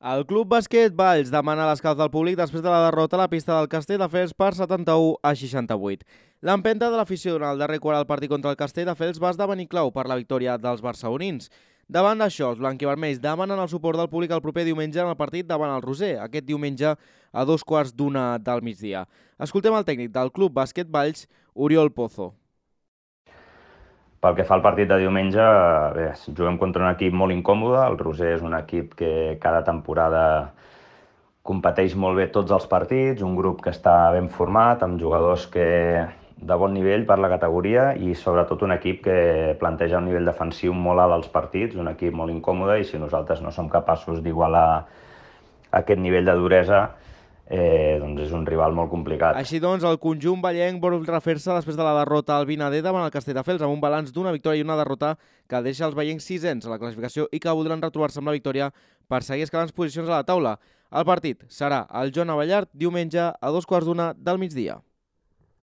El Club Bàsquet Valls demana l'escalf del públic després de la derrota a la pista del Castelldefels per 71-68. L'empenta de l'afició durant el darrer quart del partit contra el Castelldefels va esdevenir clau per la victòria dels barcelonins. Davant d'això, els blanquivermells demanen el suport del públic el proper diumenge en el partit davant el Roser, aquest diumenge a 2:15 del migdia. Escoltem el tècnic del Club Bàsquet Valls, Oriol Pozo. Pel que fa al partit de diumenge, bé, juguem contra un equip molt incòmode. El Roser és un equip que cada temporada competeix molt bé tots els partits, un grup que està ben format, amb jugadors de bon nivell per la categoria i sobretot un equip que planteja un nivell defensiu molt alt als partits, un equip molt incòmode, i si nosaltres no som capaços d'igualar aquest nivell de duresa, doncs és un rival molt complicat. Així doncs, el conjunt vallenc vol refer-se després de la derrota al Vinader davant el Castelldefels amb un balanç d'una victòria i una derrota que deixa els vallencs sisens a la classificació i que voldran retrobar-se amb la victòria per seguir escalant posicions a la taula. El partit serà al Joan Abellart diumenge a 2:15 del migdia.